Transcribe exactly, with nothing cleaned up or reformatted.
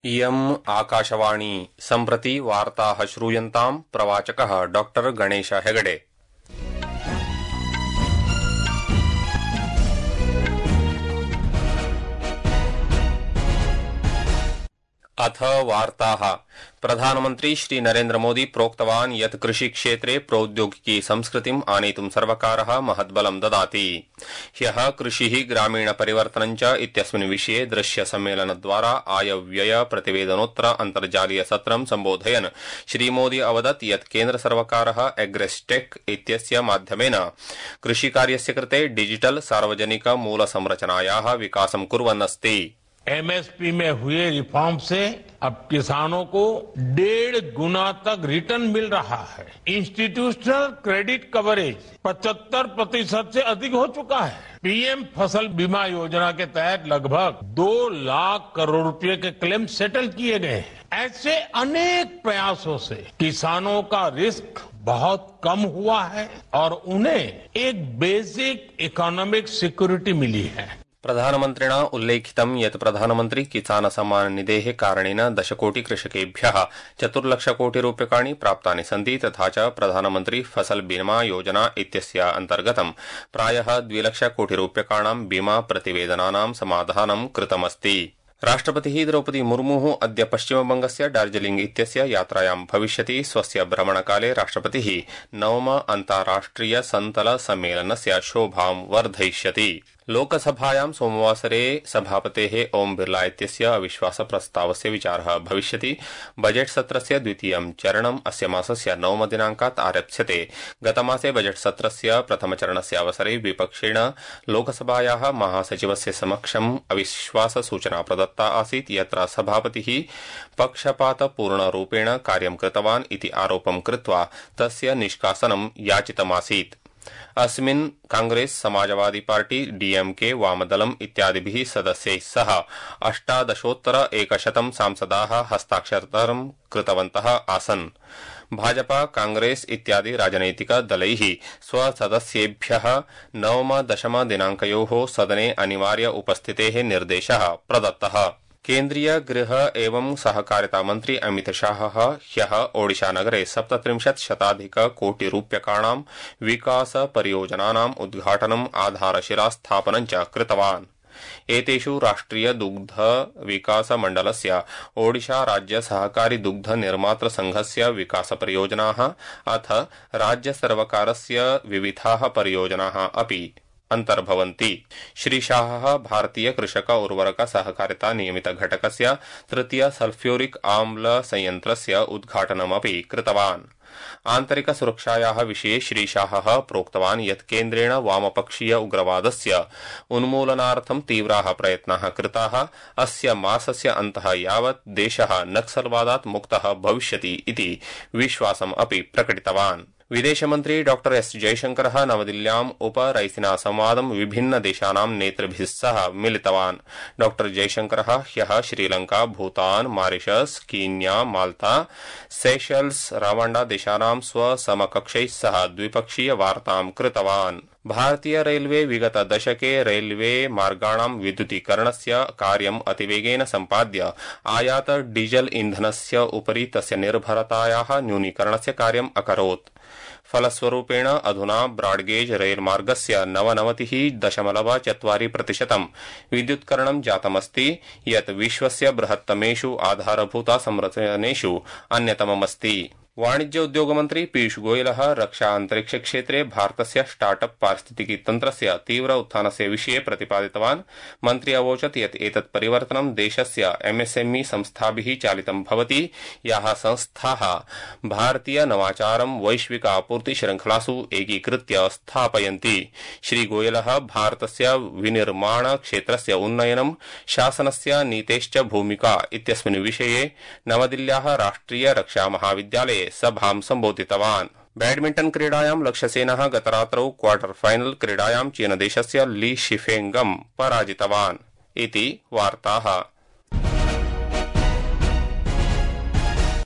इयम् आकाशवाणी सम्प्रति वार्ताः श्रूयन्ताम् प्रवाचकः डॉक्टर गणेश हेगडे। अथ वार्ताः। प्रधानमन्त्री श्री नरेन्द्र मोदी प्रोक्तवान् यत् कृषि क्षेत्रे प्रौद्योगिकी संस्कृतिम् आनेतुं सर्वकारः महद्बलं ददाति। ह्यः कृषिः ग्रामीण परिवर्तनं च इत्यस्मिन् विषये दृश्य सम्मेलनद्वारा आयव्यय प्रतिवेदनोत्तर अन्तर्जालीय सत्रं सम्बोधयन् श्रीमोदी अवदत् यत् केन्द्र सर्वकारः एग्रेस्टेक् इत्यस्य माध्यमेन कृषिकार्यस्य कृते डिजिटल सार्वजनिक मूलसंरचनायाः विकासं कुर्वन् अस्ति। एमएसपी में हुए रिफॉर्म से अब किसानों को डेढ़ गुना तक रिटर्न मिल रहा है। इंस्टीट्यूशनल क्रेडिट कवरेज पचहत्तर प्रतिशत से अधिक हो चुका है। पीएम फसल बीमा योजना के तहत लगभग दो लाख करोड़ रुपए के क्लेम सेटल किए गए हैं। ऐसे अनेक प्रयासों से किसानों का रिस्क बहुत कम हुआ है और उन्हें एक बेसिक इकोनॉमिक सिक्योरिटी मिली है। प्रधानमन्त्रिणा उल्लेखितं यत् प्रधानमन्त्री किसान सम्मान निधेः कारणेन दशकोटि कृषकेभ्यः चतुर्लक्षकोटिरूप्यकाणि प्राप्तानि सन्ति तथा च प्रधानमन्त्री फसल बीमा योजना इत्यस्य अन्तर्गतं प्रायः द्विलक्षकोटिरूप्यकाणां बीमा प्रतिवेदनानां समाधानं कृतमस्ति। राष्ट्रपतिः द्रौपदी मुर्मुः अद्य पश्चिमबंगस्य दार्जिलिंग इत्यस्य यात्रायां भविष्यति। स्वस्य भ्रमणकाले राष्ट्रपतिः नवम अन्ताराष्ट्रिय सन्तल सम्मेलनस्य शोभां वर्धयिष्यति। लोकसभायां सोमवासरे सभापतेः ओम बिर्ला इत्यस्य अविश्वासप्रस्तावस्य विचारः भविष्यति। बजेट सत्रस्य द्वितीयं चरणम् अस्य मासस्य नवमदिनाङ्कात् आरप्स्यते। गतमासे बजेट सत्रस्य प्रथमचरणस्य अवसरे विपक्षेण लोकसभायाः महासचिवस्य समक्षम् अविश्वाससूचना प्रदत्ता आसीत् यत्र सभापतिः पक्षपातपूर्णरूपेण कार्यं कृतवान् इति आरोपं कृत्वा तस्य निष्कासनं याचितमासीत्। अस्मिन् कांग्रेस समाजवादी पार्टी डीएमके वामदलम् इत्यादिभिः सदस्यैः सह अष्टादशोत्तर एकशतं सांसदाः हस्ताक्षरं कृतवन्तः आसन्। भाजपा कांग्रेस इत्यादि राजनैतिक दलैः स्वसदस्येभ्यः नवम दशम दिनाङ्कयोः सदने अनिवार्य उपस्थितेः निर्देशः प्रदत्तः। केन्द्रीय गृह एवं सहकारिता मन्त्री अमित शाहः ह्यः ओडिशानगरे सप्तत्रिंशत् शताधिक कोटिरूप्यकाणां विकास परियोजनानाम् उद्घाटनम् आधारशिला स्थापनं च कृतवान्। एतेषु राष्ट्रिय दुग्ध विकास मण्डलस्य ओडिशा राज्य सहकारी दुग्ध निर्मातृ संघस्य विकास परियोजनाः अथ राज्य सर्वकारस्य विविधाः परियोजनाः अपि अंतर्भवन्ति। श्री शाहः भारतीय कृषक उर्वरक सहकारिता नियमित घटकस्य तृतीय सल्फ्यूरिक आम्ल संयन्त्रस्य उद्घाटनमपि कृतवान्। आन्तरिक सुरक्षायाः विषये श्री शाहः प्रोक्तवान् यत् केन्द्रेण वामपक्षीय उग्रवादस्य उन्मूलनार्थं तीव्राः प्रयत्नाः कृताः। अस्य मासस्य अन्तः यावत् देशः नक्सलवादात् मुक्तः भविष्यति इति विश्वासम् अपि प्रकटितवान्। विदेशमन्त्री डॉक्टर एस जयशंकरः नवदिल्ल्याम् उपरैसिना संवादं विभिन्न देशानां नेतृभिः सह मिलितवान्। डॉक्टर जयशंकरः ह्यः श्रीलंका, भूतान, मॉरिशस, कीन्या, माल्ता, सेशल्स, रवांडा देशानां स्वसमकक्षैः सह द्विपक्षीय वार्तां कृतवान्। भारतीय रेलवे विगत दशके रेलवे मार्गाणां विद्युतीकरणस्य कार्यम् अतिवेगेन सम्पाद्य आयात डीजल इन्धनस्य उपरि तस्य निर्भरतायाः न्यूनीकरणस्य कार्यम् अकरोत्। फलस्वरूपेण अधुना ब्राडगेज रेलमार्गस्य नवनवतिः दशमलव चत्वारि प्रतिशतं विद्युत्करणं जातमस्ति यत् विश्वस्य बृहत्तमेषु आधारभूत संरचनेषु अन्यतममस्ति। वाणिज्य उद्योग मन्त्री पीयूष गोयलः रक्षा अंतरिक्ष क्षेत्रे भारतस्य स्टार्टअप पारिस्थितिकी तन्त्रस्य तीव्र उत्थानस्य विषये प्रतिपादितवान्। मन्त्री अवोचत् यत् एतत् परिवर्तनं देशस्य एमएसएमई संस्थाभिः चालितं भवति याः संस्थाः भारतीय नवाचारं वैश्विक आपूर्ति श्रृंखलासु एकीकृत्य स्थापयन्ति। श्री गोयलः भारतस्य विनिर्माण क्षेत्रस्य उन्नयनं शासनस्य नीतेश्च भूमिका इत्यस्मिन् विषये नवदिल्ल्याः राष्ट्रिय रक्षा महाविद्यालये सभां सम्बोधितवान्। बैडमिंटन क्रीडायां लक्ष्यसेनः गतरात्रौ क्वार्टर फाइनल क्रीडायां चीनदेशस्य ली शिफेंगं पराजितवान्। इति वार्ताः।